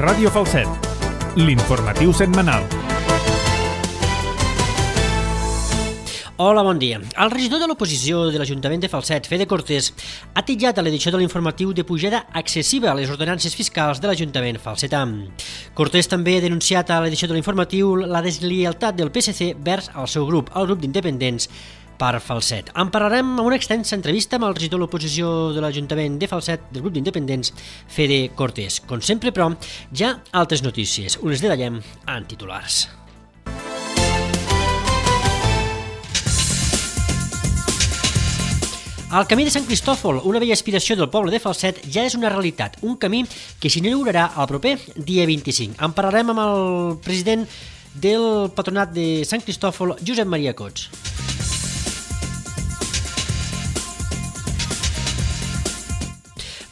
Ràdio Falset, l'informatiu setmanal. Hola, bon dia. El regidor de l'oposició de l'Ajuntament de Falset, Fede Cortés, ha titllat a l'edició de l'informatiu de pujada excessiva a les ordenances fiscals de l'Ajuntament falsetà. Cortés també ha denunciat a l'edició de l'informatiu la deslleialtat del PSC vers el seu grup, el grup d'independents per Falset. En parlarem amb una extensa entrevista amb el regidor de l'oposició de l'Ajuntament de Falset del grup d'independents, Fede Cortés. Com sempre, però, ja altres notícies. Us detallem en titulars. El camí de Sant Cristòfol, una vella aspiració del poble de Falset, ja és una realitat, un camí que s'inaugurarà el proper dia 25. En parlarem amb el president del patronat de Sant Cristòfol, Josep Maria Cots.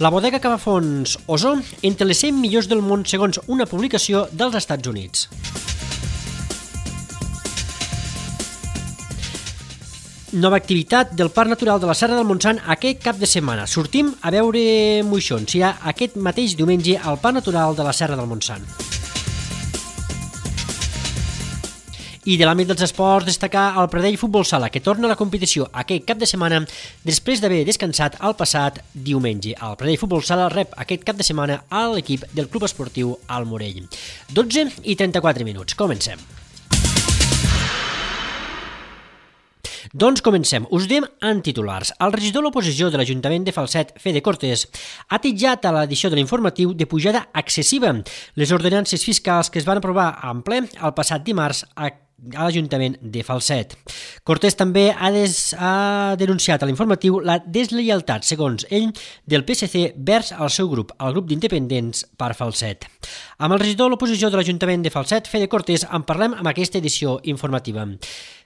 La bodega Capafonts Osó, entre les 100 millors del món segons una publicació dels Estats Units. Nova activitat del Parc Natural de la Serra del Montsant aquest cap de setmana. Sortim a veure moixons. Serà aquest mateix diumenge al Parc Natural de la Serra del Montsant. I de l'àmbit dels esports, destacar el Pradell Futbol Sala, que torna a la competició aquest cap de setmana després d'haver descansat el passat diumenge. El Pradell Futbol Sala rep aquest cap de setmana a l'equip del Club Esportiu Al Morell. 12:34 minuts. Comencem. Doncs comencem. Us diem en titulars. El regidor de l'oposició de l'Ajuntament de Falset, Fede Cortés, ha titllat a l'edició de l'informatiu de pujada excessiva les ordenances fiscals que es van aprovar en ple el passat dimarts a l'Ajuntament de Falset. Cortés també ha denunciat a l'informatiu la deslleialtat, segons ell, del PSC vers el seu grup, el grup d'independents per Falset. Amb el regidor de l'oposició de l'Ajuntament de Falset, Fede Cortés, en parlem amb aquesta edició informativa.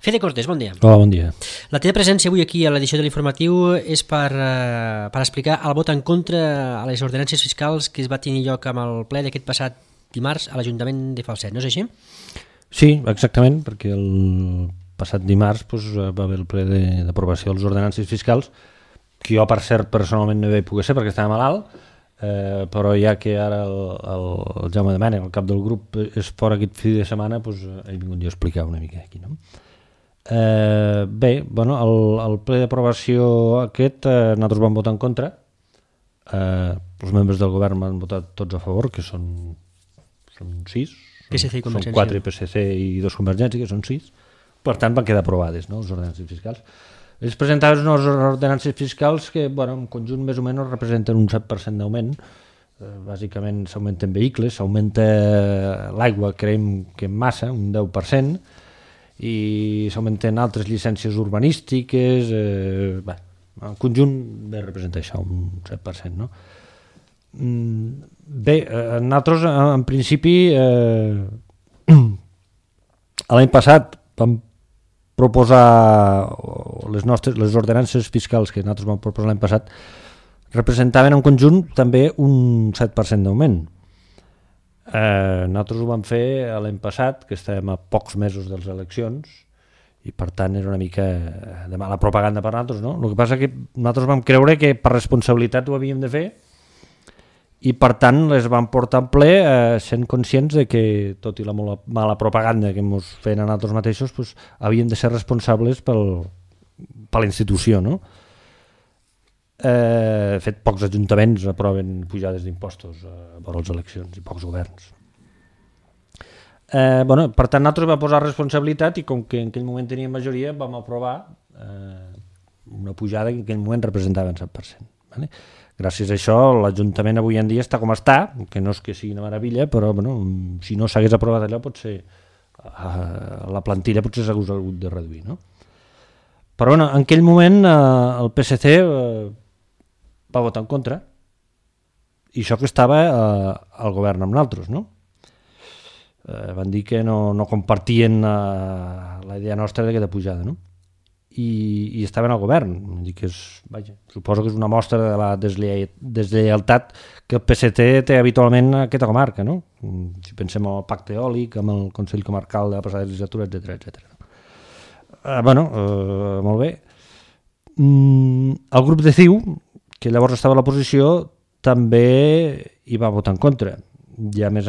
Fede Cortés, bon dia. Hola, bon dia. La teva presència avui aquí a l'edició de l'informatiu és per explicar el vot en contra a les ordenances fiscals que es va tenir lloc amb el ple d'aquest passat dimarts a l'Ajuntament de Falset, no és així? Sí, exactament, perquè el passat dimarts va haver el ple d'aprovació de les ordenances fiscals, que jo, per cert, personalment no hi vaig poder ser perquè estava malalt, però ja que ara el Jaume de Mena, el cap del grup, és fora aquest fi de setmana, he vingut jo a explicar una mica aquí, no? Bé, bueno, el ple d'aprovació aquest nosaltres vam votar en contra, els membres del govern van votar tots a favor, que són 6, PSC i Convergència. Són 4 PSC i 2 Convergència, que són 6, per tant van quedar aprovades, no, les ordenances fiscals. Ells presentaven unes ordenances fiscals que, bueno, en conjunt més o menys representen un 7% d'augment. Bàsicament s'augmenten vehicles, s'augmenta l'aigua, creiem que en massa, un 10%, i s'augmenten altres llicències urbanístiques, en conjunt bé representa això, un 7%, no? Bé, nosaltres en principi l'any passat vam proposar les ordenances fiscals que nosaltres vam proposar l'any passat representaven en conjunt també un 7% d'augment. Nosaltres ho vam fer l'any passat, que estàvem a pocs mesos de les eleccions, i per tant era una mica de mala propaganda per nosaltres, no? El que passa que nosaltres vam creure que per responsabilitat ho havíem de fer, i per tant les vam portar en ple sent conscients de que, tot i la mala propaganda que ens feien a nosaltres mateixos, havíem de ser responsables per la institució, no? De fet, pocs ajuntaments aproven pujades d'impostos per les eleccions i pocs governs. Per tant, nosaltres vam posar responsabilitat i com que en aquell moment teníem majoria vam aprovar una pujada que en aquell moment representava el 7%. Vale? Gràcies a això l'Ajuntament avui en dia està com està, que no és que sigui una meravella, però si no s'hagués aprovat allò potser la plantilla potser s'hagués hagut de reduir, no? Però en aquell moment el PSC va votar en contra, i això que estava al govern amb nosaltres, no? Van dir que no compartien la idea nostra d'aquesta pujada, no? I estaven al govern. Suposo que és una mostra de la deslleialtat que el PSC té habitualment a aquesta comarca, no? Si pensem en el pacte eòlic, amb el Consell Comarcal de la passada legislatura, etc. Molt bé. El grup de CiU, que llavors estava a l'oposició, també hi va votar en contra. I a més,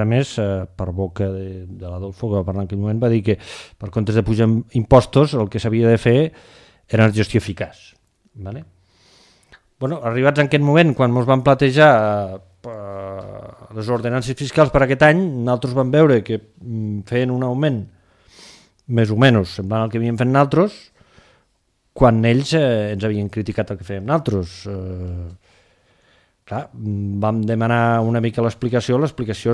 per boca de l'Adolfo, que va parlar en aquell moment, va dir que per comptes de pujar impostos el que s'havia de fer era una gestió eficaç. Vale? Bueno, arribats en aquest moment, quan ens van plantejar les ordenances fiscals per aquest any, nosaltres vam veure que feien un augment més o menys semblant al que havíem fet nosaltres, quan ells ens havien criticat el que fèiem nosaltres. Clar, vam demanar una mica l'explicació és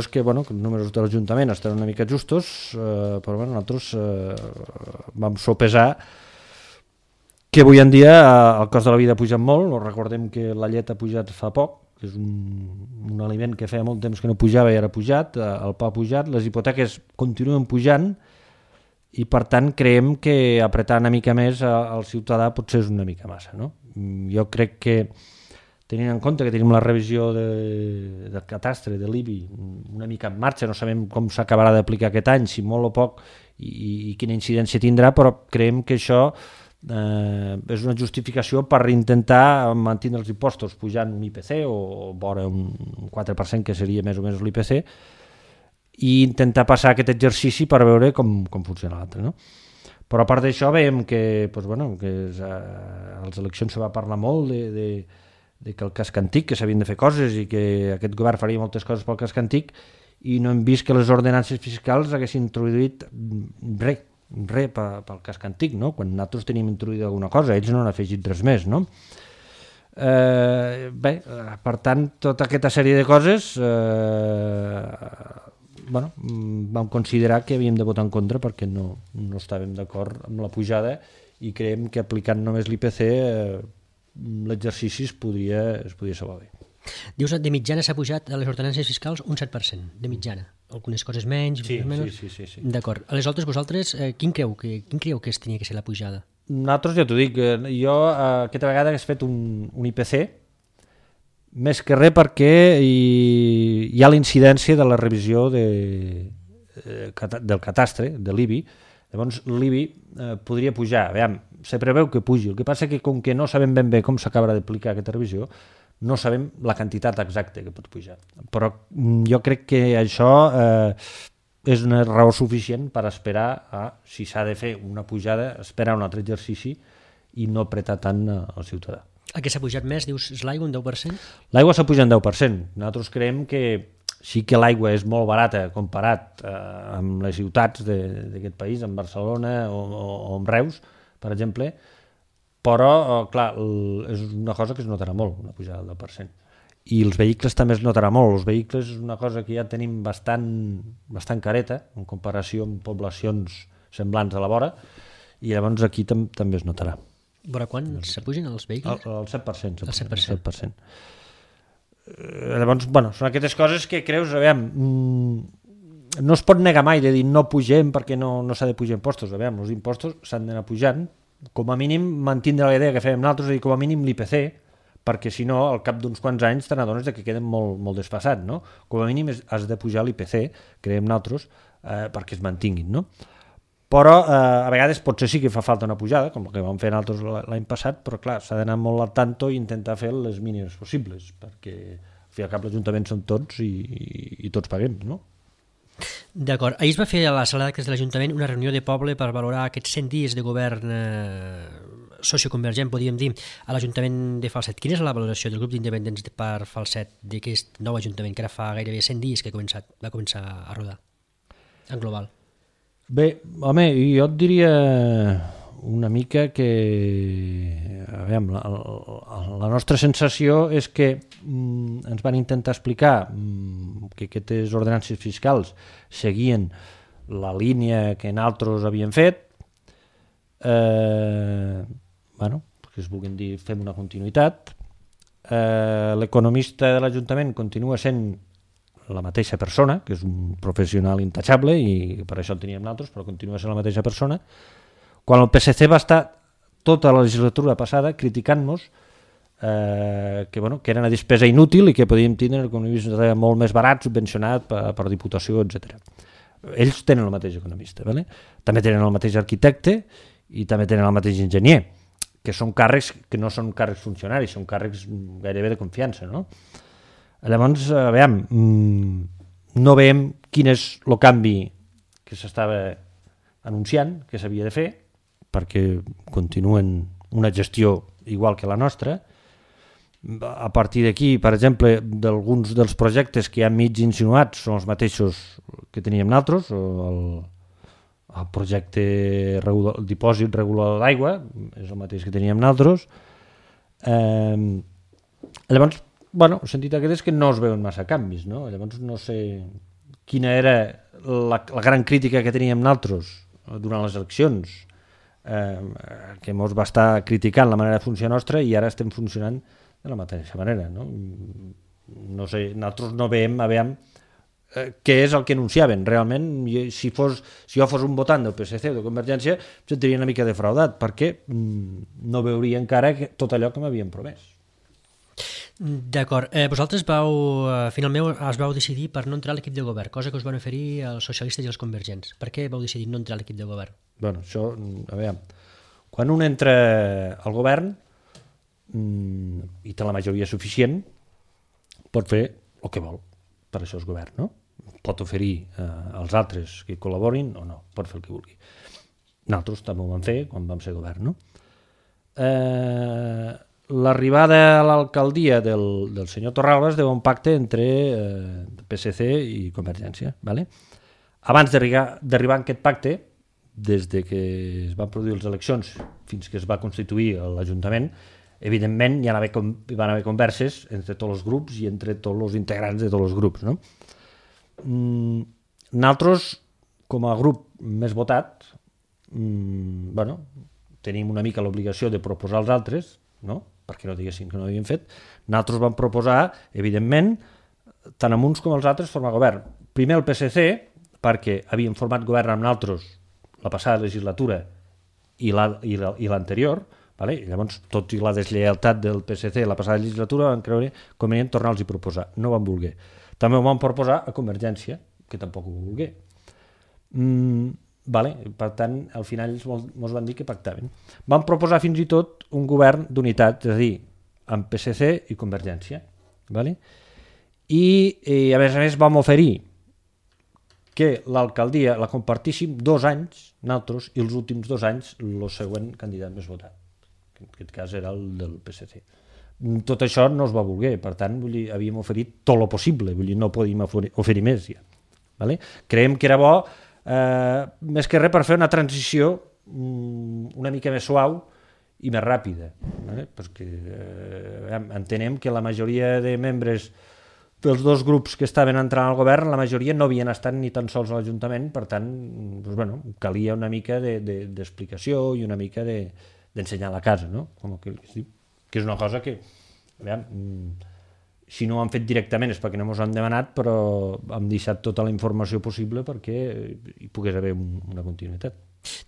que, bueno, que els números de l'Ajuntament estan una mica justos, però bueno, nosaltres vam sopesar que avui en dia el cost de la vida ha pujat molt. Recordem que la llet ha pujat fa poc, que és un aliment que feia molt temps que no pujava i ara ha pujat, el pa ha pujat, les hipoteques continuen pujant i per tant creiem que apretar una mica més al ciutadà potser és una mica massa, no? Jo crec que tenint en compte que tenim la revisió del catastre, de l'IBI, una mica en marxa, no sabem com s'acabarà d'aplicar aquest any, si molt o poc i quina incidència tindrà, però creiem que això és una justificació per intentar mantenir els impostos pujant un IPC o vora un 4% que seria més o menys l'IPC i intentar passar aquest exercici per veure com funciona l'altre, no? Però a part d'això veiem que, doncs, bueno, que a les eleccions se va parlar molt de que el casc antic, que s'havien de fer coses i que aquest govern faria moltes coses pel casc antic i no hem vist que les ordenances fiscals haguessin introduït res pel casc antic, no? Quan nosaltres tenim introduït alguna cosa, ells no han afegit res més, no? Per tant, tota aquesta sèrie de coses vam considerar que havíem de votar en contra perquè no estàvem d'acord amb la pujada i creiem que aplicant només l'IPC l'exercici es podria salvar bé. Dius, de mitjana s'ha pujat a les ordenances fiscals un 7%, de mitjana. Algunes coses menys, menys. Sí. D'acord. Aleshores, vosaltres, quin creieu que tenia que ser la pujada? Nosaltres, ja t'ho dic, jo aquesta vegada he fet un IPC, més que res perquè hi ha la incidència de la revisió del catastre, de l'IBI. Llavors l'IBI podria pujar, se preveu que pugi, el que passa que com que no sabem ben bé com s'acabarà d'aplicar aquesta revisió, no sabem la quantitat exacta que pot pujar. Però jo crec que això és una raó suficient per esperar si s'ha de fer una pujada, esperar un altre exercici i no apretar tant al ciutadà. El que s'ha pujat més, dius, és l'aigua, un 10%? L'aigua s'ha pujat un 10%. Nosaltres creiem que sí que l'aigua és molt barata comparat amb les ciutats d'aquest país, amb Barcelona o amb Reus, per exemple, però, clar, és una cosa que es notarà molt, una pujada del 10%. I els vehicles també es notarà molt. Els vehicles és una cosa que ja tenim bastant careta, en comparació amb poblacions semblants a la vora, i llavors aquí també es notarà. Vora quan s'apugen els vehicles? El 7%. El 7%. Llavors, són aquestes coses que creus, no es pot negar mai de dir no pugem perquè no s'ha de pujar impostos. Els impostos s'han d'anar pujant, com a mínim mantindre la idea que fèiem nosaltres, és a dir, com a mínim l'IPC, perquè si no, al cap d'uns quants anys te n'adones que queden molt desfasats, no? Com a mínim has de pujar l'IPC, creiem nosaltres, perquè es mantinguin, no? Però a vegades potser sí que fa falta una pujada, com el que vam fer nosaltres l'any passat, però clar, s'ha d'anar molt al tanto i intentar fer les mínimes possibles, perquè al fi al cap l'Ajuntament són tots i tots paguem, no? D'acord. Ahir es va fer a la sala d'actes de l'Ajuntament una reunió de poble per valorar aquests 100 dies de govern socioconvergent, podríem dir, a l'Ajuntament de Falset. Quina és la valoració del grup d'independents per Falset d'aquest nou Ajuntament que ara fa gairebé 100 dies que va començar a rodar, en global? Bé, home, jo et diria una mica que la nostra sensació és que ens van intentar explicar que aquestes ordenances fiscals seguien la línia que nosaltres havíem fet, que es vulguin dir fem una continuïtat. L'economista de l'Ajuntament continua sent la mateixa persona, que és un professional intachable i per això el teníem nosaltres, però continua sent la mateixa persona. Quan el PSC va estar tota la legislatura passada criticant-nos que era una despesa inútil i que podíem tindre economistes molt més barats, subvencionat per Diputació, etc. Ells tenen el mateix economista, també tenen el mateix arquitecte i també tenen el mateix enginyer, que són càrrecs que no són càrrecs funcionaris, són càrrecs gairebé de confiança, no? Llavors, no veiem quin és el canvi que s'estava anunciant, que s'havia de fer, perquè continuen una gestió igual que la nostra. A partir d'aquí, per exemple, d'alguns dels projectes que hi ha mig insinuats són els mateixos que teníem nosaltres, el projecte el dipòsit regulador d'aigua és el mateix que teníem nosaltres. Llavors, bueno, el sentit aquest és que no es veuen massa canvis, no? Llavors no sé quina era la gran crítica que teníem nosaltres durant les eleccions, que ens va estar criticant la manera de funcionar nostra, i ara estem funcionant de la mateixa manera, no? No sé, nosaltres no veiem, què és el que anunciaven. Realment, si jo fos un votant del PSC o de Convergència, em sentiria una mica defraudat, perquè no veuria encara tot allò que m'havien promès. D'acord. Vosaltres finalment es vau decidir per no entrar a l'equip de govern, cosa que us van oferir els socialistes i els convergents. Per què vau decidir no entrar a l'equip de govern? Bueno, això, a veure, quan un entra al govern i té la majoria suficient, pot fer el que vol. Per això és govern, no? Pot oferir als altres que col·laborin o no, pot fer el que vulgui. Nosaltres també ho vam fer quan vam ser govern, no? L'arribada a l'alcaldia del senyor Torralba es deu a un pacte entre PSC i Convergència, ¿vale? Abans d'arribar a aquest pacte, des de que es van produir les eleccions fins que es va constituir l'Ajuntament, evidentment hi van haver converses entre tots els grups i entre tots els integrants de tots els grups, no? Nosaltres, com a grup més votat, bueno, tenim una mica l'obligació de proposar als altres, no? Perquè no diguessin que no ho havien fet. Nosaltres vam proposar, evidentment, tant amb uns com els altres, formar govern. Primer el PSC, perquè havíem format govern amb nosaltres la passada legislatura i l'anterior, vale? Llavors, tot i la deslleialtat del PSC la passada legislatura, van creure convenient tornar-los a proposar. No van voler. També ho van proposar a Convergència, que tampoc ho voler. Vale? Per tant, al final ens van dir que pactaven. Van proposar fins i tot un govern d'unitat, és a dir, amb PSC i Convergència. Vale? I a més vam oferir que l'alcaldia la compartíssim 2 anys, nosaltres, i els últims 2 anys el següent candidat més votat. En aquest cas era el del PSC. Tot això no es va voler, per tant, havíem oferit tot el possible, no podíem oferir més ja. Vale? Creiem que era bo, més que res, per fer una transició una mica més suau i més ràpida, vale? Perquè entenem que la majoria de membres dels 2 grups que estaven entrant al govern, la majoria no havien estat ni tan sols a l'Ajuntament, per tant, doncs, bueno, calia una mica d'explicació i una mica d'ensenyar la casa, no? Com que és una cosa que, si no ho han fet directament és perquè no ens han demanat, però hem deixat tota la informació possible perquè hi pogués haver una continuïtat.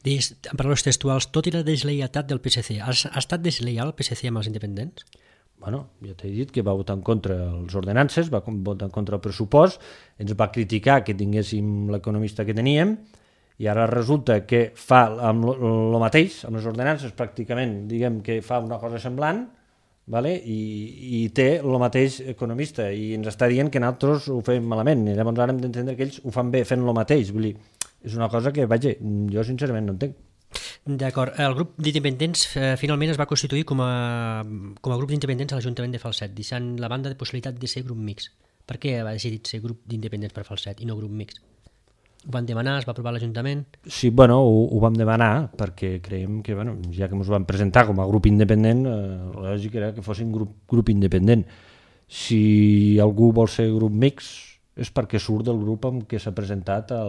Dius, en paraules textuals, tot i la deslleialtat del PSC, ha estat deslleial el PSC amb els independents? Bueno, ja t'he dit que va votar en contra les ordenances, va votar en contra el pressupost, ens va criticar que tinguéssim l'economista que teníem, i ara resulta que fa amb el mateix, amb les ordenances pràcticament, diguem que fa una cosa semblant, vale? I té el mateix economista, i ens està dient que nosaltres ho fem malament, i llavors ara hem d'entendre que ells ho fan bé fent el mateix. Vull dir, és una cosa que, vaja, jo sincerament no entenc. D'acord. El grup d'independents finalment es va constituir com a grup d'independents a l'Ajuntament de Falset, deixant la banda de possibilitat de ser grup mixt. Per què va decidir ser grup d'independents per Falset i no grup mixt? Ho van demanar, es va aprovar a l'Ajuntament? Sí, bueno, ho vam demanar perquè creiem que, bueno, ja que ens van presentar com a grup independent, la lògica era que fossin grup independent. Si algú vol ser grup mixt és perquè surt del grup amb què s'ha presentat a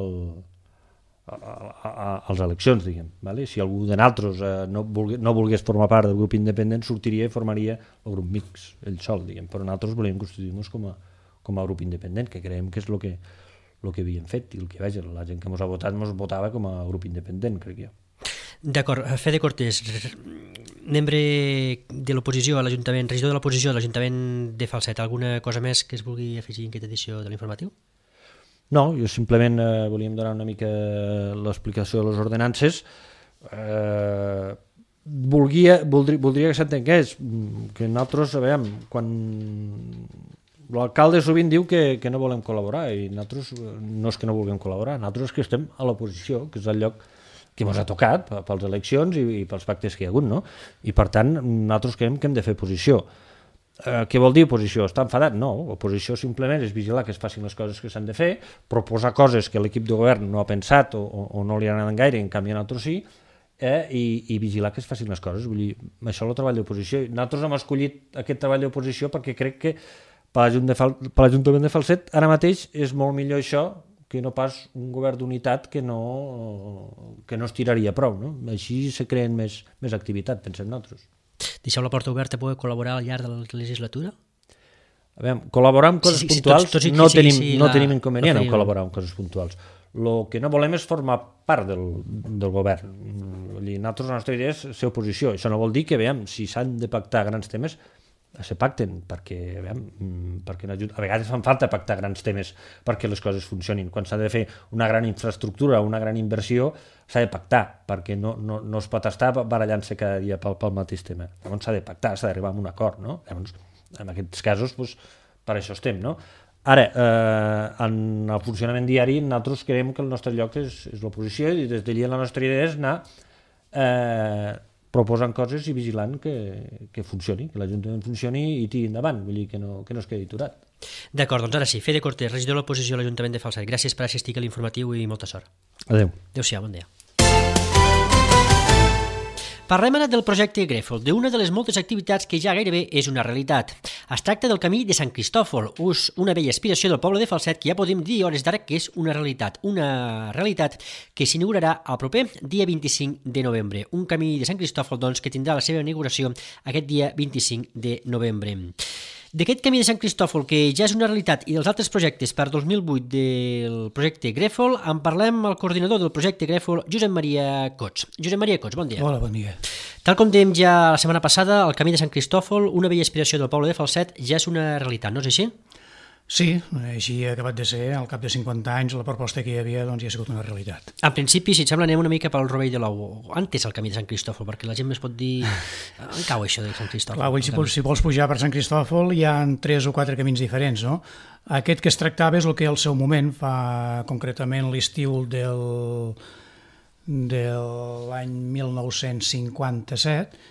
les eleccions, diguem. Vale? Si algú de nosaltres no volgués formar part del grup independent, sortiria i formaria el grup mixt, ell sol, diguem. Però nosaltres volem constituir-nos com a grup independent, que creiem que és el que havíem fet, i el que, vaja, la gent que ens ha votat ens votava com a grup independent, crec jo. D'acord. Fede Cortés, membre de l'oposició a l'Ajuntament, regidor de l'oposició a l'Ajuntament de Falset, alguna cosa més que es vulgui afegir en aquesta edició de l'informatiu? No, jo simplement volíem donar una mica l'explicació de les ordenances. Voldria que s'entengués que nosaltres, quan l'alcalde sovint diu que no volem col·laborar, i nosaltres no és que no vulguem col·laborar, nosaltres que estem a l'oposició, que és el lloc que ens ha tocat pels eleccions i pels pactes que hi ha hagut, no? I per tant, nosaltres creiem que hem de fer oposició. Què vol dir oposició? Està enfadat? No, oposició simplement és vigilar que es facin les coses que s'han de fer, proposar coses que l'equip de govern no ha pensat o no li agraden gaire, en canvi nosaltres sí, i vigilar que es facin les coses. Vull dir, això és el treball d'oposició. Nosaltres hem escollit aquest treball d'oposició perquè crec que per l'Ajuntament de Falset ara mateix és molt millor això que no pas un govern d'unitat que no es tiraria prou, no? Així se creen més activitat, pensem nosaltres. Deixeu la porta oberta a poder col·laborar al llarg de la legislatura? A veure, col·laborar amb coses puntuals no tenim inconvenient en col·laborar amb coses puntuals. El que no volem és formar part del govern. Vull dir, nosaltres la nostra idea és ser oposició. Això no vol dir que, veiem, si s'han de pactar grans temes, se pacten, perquè a vegades fan falta pactar grans temes perquè les coses funcionin. Quan s'ha de fer una gran infraestructura o una gran inversió, s'ha de pactar, perquè no es pot estar barallant-se cada dia pel mateix tema. Llavors s'ha de pactar, s'ha d'arribar a un acord, no? Llavors, en aquests casos, doncs, per això estem, no? Ara, en el funcionament diari, nosaltres creiem que el nostre lloc és l'oposició, i des d'allí la nostra idea és anar proposant coses i vigilant que funcioni, que l'Ajuntament funcioni i tiri endavant, vull dir que no es quedi aturat. D'acord, doncs ara sí, Fede Cortés, regidor de l'oposició a l'Ajuntament de Falset. Gràcies per assistir a l'informatiu i molta sort. Adéu. Adéu-siau, bon dia. Parlem ara del projecte Grèfol, d'una de les moltes activitats que ja gairebé és una realitat. Es tracta del Camí de Sant Cristòfol, una vella aspiració del poble de Falset que ja podem dir a hores d'ara que és una realitat que s'inaugurarà el proper dia 25 de novembre. Un Camí de Sant Cristòfol, doncs, que tindrà la seva inauguració aquest dia 25 de novembre. D'aquest Camí de Sant Cristòfol, que ja és una realitat, i dels altres projectes per 2008 del projecte Grèfol, en parlem al coordinador del projecte Grèfol, Josep Maria Cots. Josep Maria Cots, bon dia. Hola, bon dia. Tal com dèiem ja la setmana passada, el Camí de Sant Cristòfol, una vella aspiració del poble de Falset, ja és una realitat, no és així? Sí, així ha acabat de ser. Al cap de 50 anys la proposta que hi havia doncs, ja ha sigut una realitat. En principi, si et sembla, anem una mica pel rovell de l'ou. Antes el Camí de Sant Cristòfol, perquè la gent es pot dir... On cau això de Sant Cristòfol? Clar, si vols pujar per Sant Cristòfol hi ha 3 o 4 camins diferents, no? Aquest que es tractava és el que al seu moment, fa concretament l'estiu de l'any 1957,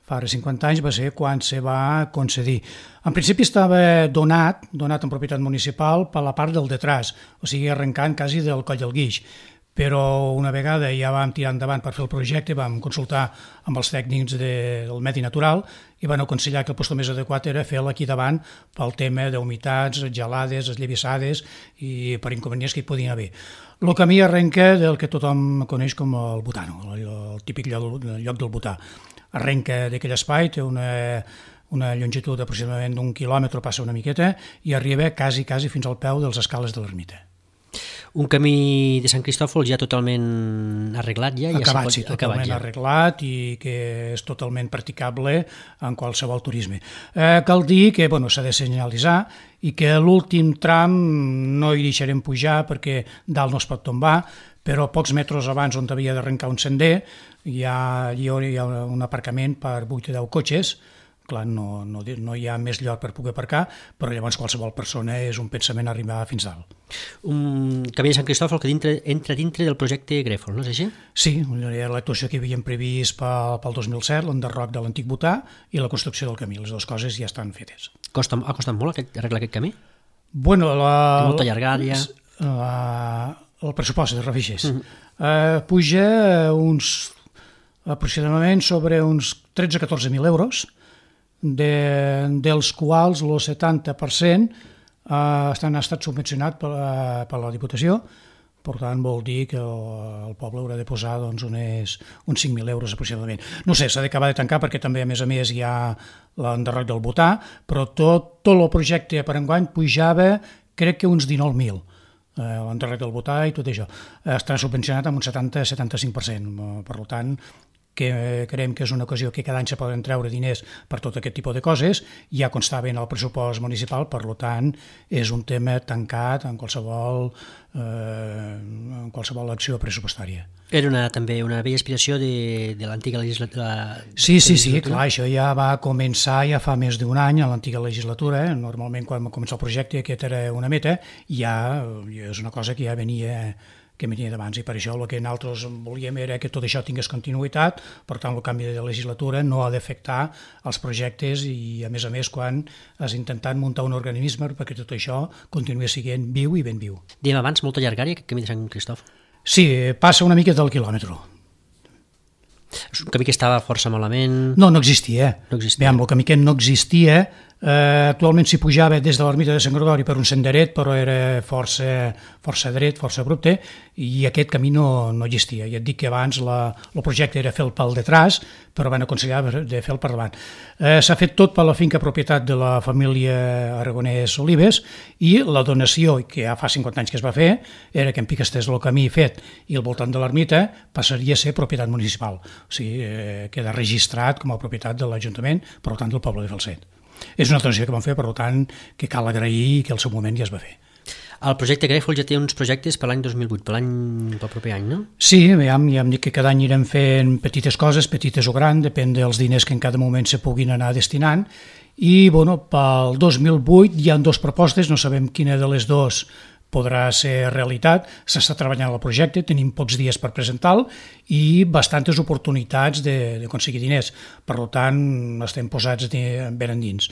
fa ara 50 anys va ser quan se va concedir. En principi estava donat en propietat municipal per la part del detrás, o sigui, arrencant quasi del Coll del Guix. Però una vegada ja vam tirar endavant per fer el projecte, vam consultar amb els tècnics del Medi Natural i van aconsellar que el lloc més adequat era fer-la aquí davant pel tema d'humitats, gelades, esllavissades i per inconvenients que hi podien haver. El camí arrenca del que tothom coneix com el Butano, el típic lloc del Butà. Arrenca d'aquell espai, té una longitud aproximadament d'1 quilòmetre, passa una miqueta, i arriba quasi fins al peu dels escales de l'ermita. Un camí de Sant Cristòfol ja totalment arreglat? Acabat, sí, totalment arreglat i que és totalment practicable en qualsevol turisme. Cal dir que s'ha de senyalitzar i que l'últim tram no hi deixarem pujar perquè dalt no es pot tombar, però pocs metres abans on havia d'arrencar un sender hi ha un aparcament per 8 o 10 cotxes. Clar, no hi ha més lloc per poder aparcar, però llavors qualsevol persona és un pensament arribar fins dalt. Un Camí de Sant Cristòfol que entra dintre del projecte Grèfol, no és així? Sí, l'actuació que havíem previst pel 2007, l'enderroc de l'antic Butà i la construcció del camí. Les dues coses ja estan fetes. Ha costat molt arreglar aquest camí? Molta llargària. El pressupost de Revixes. Puja aproximadament sobre uns 13-14.000 euros, dels quals el 70% ha estat subvencionat per la Diputació. Per tant, vol dir que el poble haurà de posar uns 5.000 euros aproximadament. No sé, s'ha d'acabar de tancar perquè també, a més, hi ha l'enderroc del Butà, però tot el projecte per enguany pujava, crec que uns 19.000. L'enderroc del Butà i tot això. Està subvencionat amb un 70-75%. Per tant, que creiem que és una ocasió que cada any se poden treure diners per tot aquest tipus de coses, ja constava en el pressupost municipal, per tant és un tema tancat en qualsevol acció pressupostària. Era també una vella aspiració de l'antiga legislatura. Sí, clar, això ja va començar ja fa més d'un any a l'antiga legislatura. Normalment quan va començar el projecte aquest era una meta, ja és una cosa que ja venia d'abans, i per això el que nosaltres volíem era que tot això tingués continuïtat. Per tant, el canvi de legislatura no ha d'afectar els projectes i, a més, quan has intentat muntar un organisme perquè tot això continuï sent viu i ben viu. Dèiem abans, molta llargària, aquest camí de Sant Cristòfol. Sí, passa una mica del quilòmetre. És un camí que estava força malament... No existia. Veiem, el camí que no existia. Actualment s'hi pujava des de l'ermita de Sant Gregori per un senderet, però era força dret, força abrupte, i aquest camí no existia. Ja et dic que abans el projecte era fer-lo pel detrás, però van aconsellar de fer-lo per davant. S'ha fet tot per la finca propietat de la família Aragonès Olives, i la donació, que ja fa 50 anys que es va fer, era que en pic estés el camí fet i al voltant de l'ermita passaria a ser propietat municipal. O sigui, queda registrat com a propietat de l'Ajuntament, per tant del poble de Falset. És una donació que vam fer, per tant, que cal agrair i que al seu moment ja es va fer. El projecte Grèfol ja té uns projectes per l'any 2008, pel proper any, no? Sí, ja hem dit que cada any anirem fent petites coses, petites o grans, depèn dels diners que en cada moment se puguin anar destinant, i pel 2008 hi ha 2 propostes, no sabem quina de les 2 podrà ser realitat. S'està treballant el projecte, tenim pocs dies per presentar-lo i bastantes oportunitats d'aconseguir diners. Per tant, estem posats ben endins.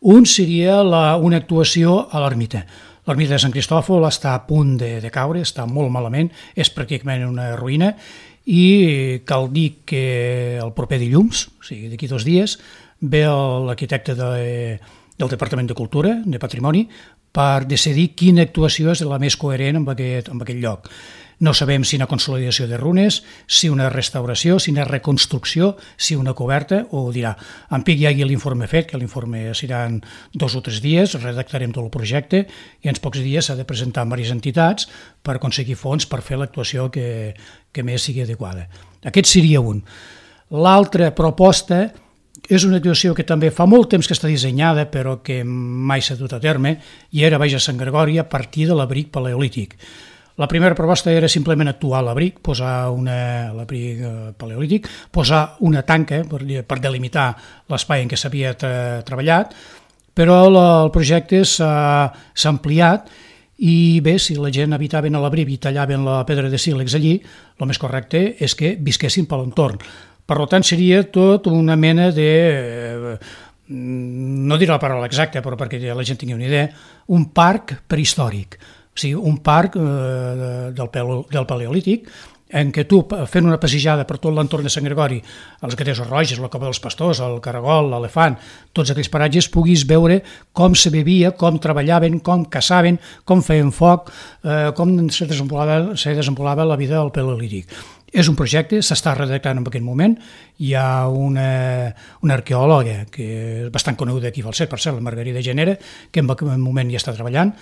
Un seria una actuació a l'ermita. L'ermita de Sant Cristòfol està a punt de caure, està molt malament, és pràcticament una ruïna, i cal dir que el proper dilluns, o sigui, d'aquí 2 dies, ve l'arquitecte del Departament de Cultura, de Patrimoni, per decidir quina actuació és la més coherent amb aquest lloc. No sabem si una consolidació de runes, si una restauració, si una reconstrucció, si una coberta, o ho dirà. En pic hi hagi l'informe fet, que l'informe seran 2 o 3 dies, redactarem tot el projecte i en pocs dies s'ha de presentar amb diverses entitats per aconseguir fons per fer l'actuació que més sigui adequada. Aquest seria un. L'altra proposta és una actuació que també fa molt temps que està dissenyada però que mai s'ha dut a terme, i era baix a Sant Gregori a partir de l'abric paleolític. La primera proposta era simplement actuar a l'abric, posar l'abric paleolític, posar una tanca per delimitar l'espai en què s'havia treballat, però el projecte s'ha ampliat i bé, si la gent habitaven a l'abric i tallaven la pedra de sílex allí, el més correcte és que visquessin per l'entorn. Per tant, seria tot una mena de, no diré la paraula exacta, però perquè la gent tingui una idea, un parc prehistòric, o sigui, un parc del Paleolític, en què tu, fent una passejada per tot l'entorn de Sant Gregori, els Gatesos Roges, la Cova dels Pastors, el Caragol, l'Elefant, tots aquells paratges, puguis veure com se bevia, com treballaven, com caçaven, com feien foc, com se desenvolupava la vida del Paleolític. És un projecte, s'està redactant en aquest moment. Hi ha una arqueòloga que és bastant coneguda aquí a Falset, per cert, la Margarida Genera, que en aquest moment ja està treballant.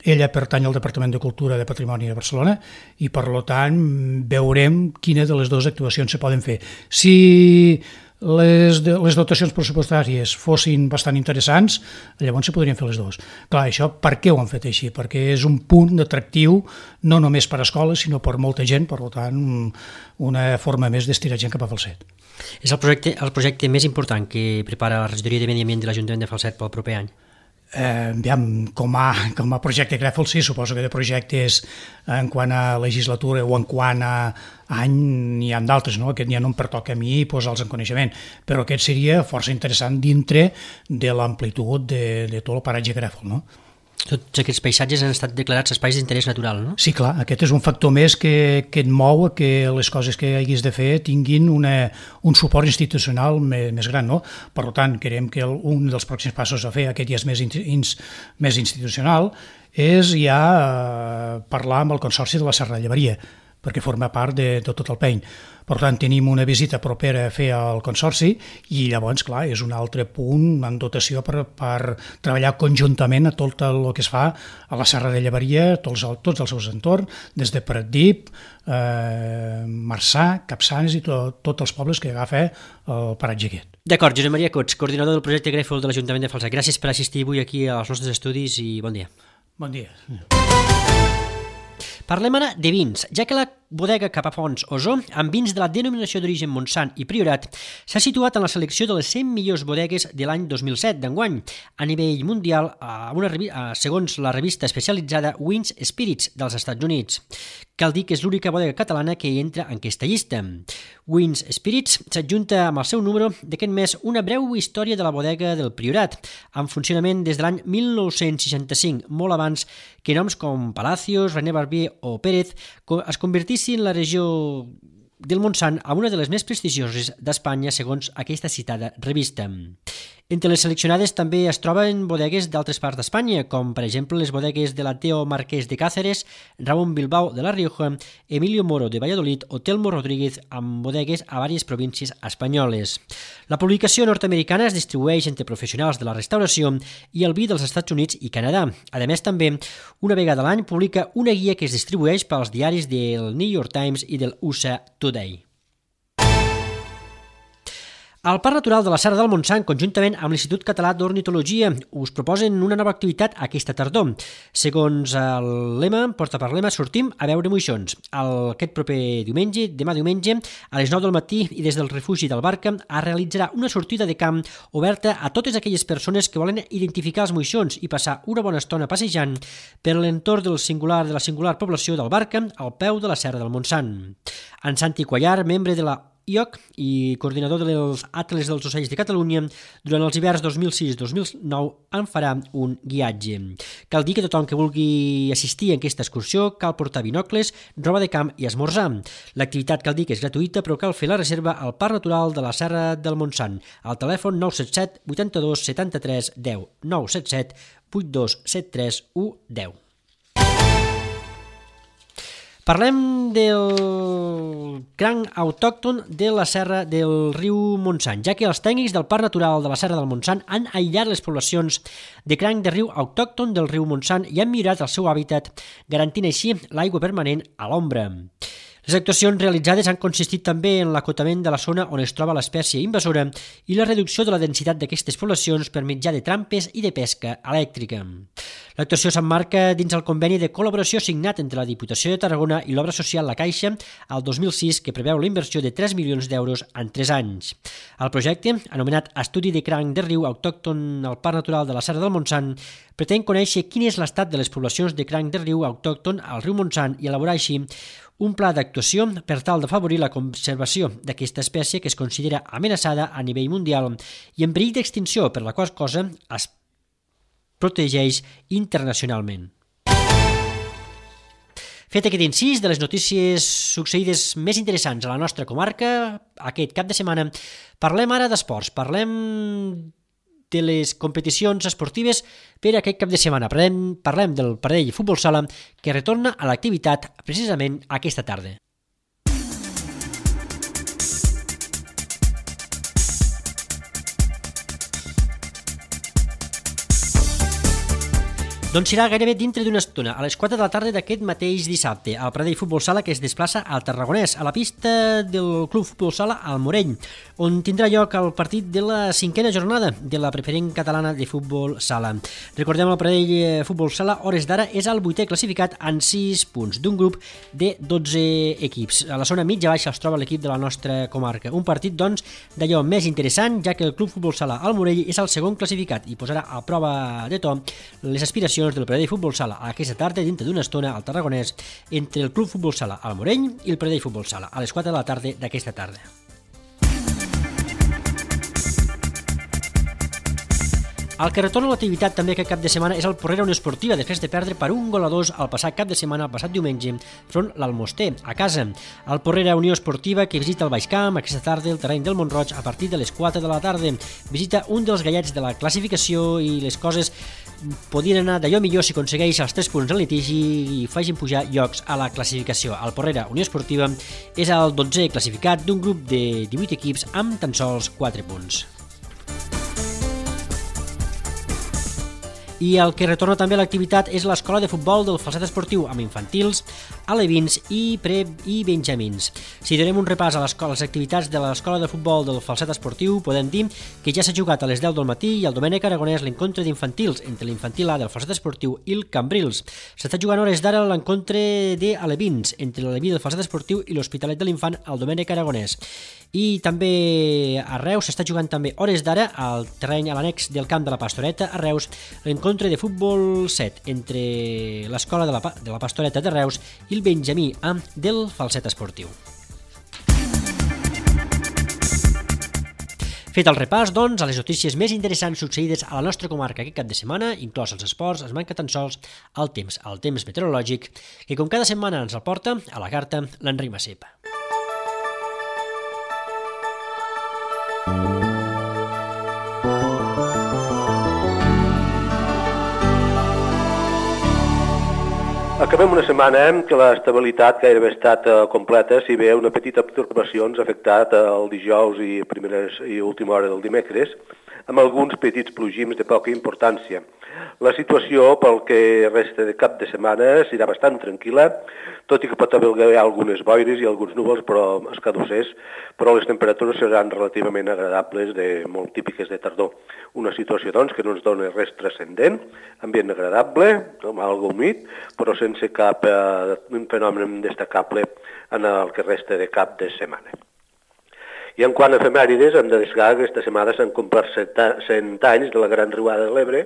Ella pertany al Departament de Cultura de Patrimoni de Barcelona i, per tant, veurem quina de les 2 actuacions se poden fer. Si les dotacions pressupostàries fossin bastant interessants, llavors se podrien fer les 2. Clar, això per què ho han fet així? Perquè és un punt d'atractiu no només per a escoles, sinó per molta gent, per tant, una forma més d'estirar gent cap a Falset. És el projecte més important que prepara la regidoria de Medi Ambient de l'Ajuntament de Falset pel proper any? Com a projecte Grèfol, sí, suposo que de projectes en quant a legislatura o en quant a any n'hi ha d'altres, no? Aquest ja no em pertoca a mi posar-los en coneixement, però aquest seria força interessant dintre de l'amplitud de tot el paratge Grèfol, no? Tots aquests paisatges han estat declarats espais d'interès natural, no? Sí, clar, aquest és un factor més que et mou a que les coses que haguis de fer tinguin un suport institucional més gran, no? Per tant, creiem que un dels pròxims passos a fer, aquest ja és més institucional, és ja parlar amb el Consorci de la Serra de Llevaria, perquè forma part de tot el PEIN. Per tant, tenim una visita propera a fer al Consorci i llavors, clar, és un altre punt en dotació per treballar conjuntament a tot el que es fa a la Serra de Llevaria, tots els seus entorns, des de Pratdip, Marçà, Capçanes i tots els pobles que agafa el paratge aquest. D'acord, Josep Maria Cots, coordinador del projecte Grèfol de l'Ajuntament de Falset. Gràcies per assistir avui aquí als nostres estudis i bon dia. Bon dia. Parlem ara de vins, ja que la bodega Capafons Osó, amb vins de la denominació d'origen Montsant i Priorat, s'ha situat en la selecció de les 100 millors bodegues de l'any 2007 d'enguany, a nivell mundial, segons la revista especialitzada Wines Spirits dels Estats Units. Cal dir que és l'única bodega catalana que hi entra en aquesta llista. Wines Spirits s'adjunta amb el seu número d'aquest mes una breu història de la bodega del Priorat, en funcionament des de l'any 1965, molt abans que noms com Palacios, René Barbier o Pérez es convertissin la regió del Montsant a una de les més prestigioses d'Espanya, segons aquesta citada revista. Entre les seleccionades també es troben bodegues d'altres parts d'Espanya, com per exemple les bodegues de la Teo Marquès de Cáceres, Ramon Bilbao de La Rioja, Emilio Moro de Valladolid o Telmo Rodríguez, amb bodegues a diverses províncies espanyoles. La publicació nord-americana es distribueix entre professionals de la restauració i el vi dels Estats Units i Canadà. A més, també, una vegada a l'any publica una guia que es distribueix pels diaris del New York Times i del USA Today. El Parc Natural de la Serra del Montsant, conjuntament amb l'Institut Català d'Ornitologia, us proposen una nova activitat aquesta tardor. Segons el lema, porta per lema, sortim a veure moixons. Aquest proper diumenge, demà diumenge, a les 9 del matí i des del refugi del Barca, es realitzarà una sortida de camp oberta a totes aquelles persones que volen identificar els moixons i passar una bona estona passejant per l'entorn de la singular població del Barca al peu de la Serra del Montsant. En Santi Cuellar, membre de la IOC i coordinador dels Atles dels Ocells de Catalunya, durant els hiverns 2006-2009 en farà un guiatge. Cal dir que tothom que vulgui assistir a aquesta excursió cal portar binocles, roba de camp i esmorzar. L'activitat cal dir que és gratuïta, però cal fer la reserva al Parc Natural de la Serra del Montsant, al telèfon 977 82 73 10, 977 82 73 10. Parlem del cranc autòcton de la serra del riu Montsant, ja que els tècnics del Parc Natural de la Serra del Montsant han aïllat les poblacions de cranc de riu autòcton del riu Montsant i han millorat el seu hàbitat, garantint així l'aigua permanent a l'ombra. Les actuacions realitzades han consistit també en l'acotament de la zona on es troba l'espècie invasora i la reducció de la densitat d'aquestes poblacions per mitjà de trampes i de pesca elèctrica. L'actuació s'emmarca dins el conveni de col·laboració signat entre la Diputació de Tarragona i l'Obra Social La Caixa al 2006, que preveu la inversió de 3 milions d'euros en 3 anys. El projecte, anomenat Estudi de cranc de riu autòcton al Parc Natural de la Serra del Montsant, pretén conèixer quin és l'estat de les poblacions de cranc de riu autòcton al riu Montsant i elaborar així un pla d'actuació per tal d'afavorir la conservació d'aquesta espècie que es considera amenaçada a nivell mundial i en perill d'extinció, per la qual cosa es protegeix internacionalment. Fet aquest incís de les notícies succeïdes més interessants a la nostra comarca aquest cap de setmana, parlem ara d'esports, parlem de les competicions esportives per aquest cap de setmana. Parlem del Pradell Futbol Sala, que retorna a l'activitat precisament aquesta tarda. Doncs serà gairebé dintre d'una estona, a les 4 de la tarda d'aquest mateix dissabte, al Pradell Futbol Sala, que es desplaça al Tarragonès, a la pista del Club Futbol Sala al Morell, on tindrà lloc el partit de la 5a jornada de la preferent catalana de futbol sala. Recordem, el Pradell Futbol Sala, hores d'ara, és el 8è classificat en 6 punts, d'un grup de 12 equips. A la zona mitja-baixa es troba l'equip de la nostra comarca. Un partit, doncs, d'allò més interessant, ja que el Club Futbol Sala al Morell és el segon classificat i posarà a prova de to les aspiracions del Pradell Futbol Sala aquesta tarda, dintre d'una estona al Tarragonès, entre el Club Futbol Sala al Morell i el Pradell Futbol Sala, a les 4 de la tarda d'aquesta tarda. El que retorna a l'activitat també aquest cap de setmana és el Porrera Unió Esportiva, després de perdre per 1-2 el passat cap de setmana, el passat diumenge, front l'Almoster, a casa. El Porrera Unió Esportiva, que visita el Baix Camp aquesta tarda el terreny del Montroig a partir de les 4 de la tarda. Visita un dels gallets de la classificació i les coses podien anar d'allò millor si aconsegueix els 3 punts en litigi i facin pujar llocs a la classificació. El Porrera Unió Esportiva és el 12è classificat d'un grup de 18 equips amb tan sols 4 punts. I el que retorna també a l'activitat és l'escola de futbol del Falset Esportiu amb infantils, alevins i i benjamins. Si donem un repàs a les activitats de l'escola de futbol del Falset Esportiu, podem dir que ja s'ha jugat a les 10 del matí i el Domènec Aragonès l'encontre d'infantils entre l'infantil A del Falset Esportiu i el Cambrils. S'està jugant hores d'ara l'encontre d'alevins entre l'aleví del Falset Esportiu i l'Hospitalet de l'Infant al Domènec Aragonès. I també a Reus s'està jugant també hores d'ara al terreny a l'annex del camp de la Pastoreta a Reus l'encontre de futbol 7 entre l'escola de la Pastoreta de Reus i el Benjamí A del Falset Esportiu. Fet el repàs, doncs, a les notícies més interessants succeïdes a la nostra comarca aquest cap de setmana, inclòs els esports, es manca tan sols el temps meteorològic, que com cada setmana ens el porta a la carta l'Enric Massip. Acabem una setmana que l'estabilitat gairebé ha estat completa, si bé una petita pertorbació ens ha afectat el dijous i última hora del dimecres, amb alguns petits plogims de poca importància. La situació pel que resta de cap de setmana serà bastant tranquil·la, tot i que pot haver algunes boires i alguns núvols escadussers, però les temperatures seran relativament agradables, molt típiques de tardor. Una situació, doncs, que no ens dona res transcendent, ambient agradable, algo humit, però sense cap fenomen destacable en el que resta de cap de setmana. I en quant a efemèrides, hem de destacar que aquesta setmana s'han complert 100 anys de la Gran Riuada de l'Ebre,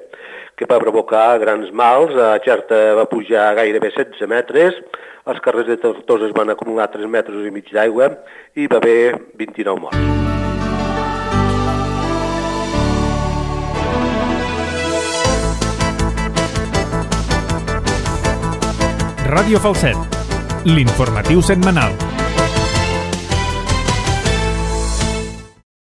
que va provocar grans mals. A Xerta va pujar gairebé 16 metres, els carrers de Tortosa es van acumular 3 metres i mig d'aigua i va haver 29 morts. Ràdio Falset, l'informatiu setmanal.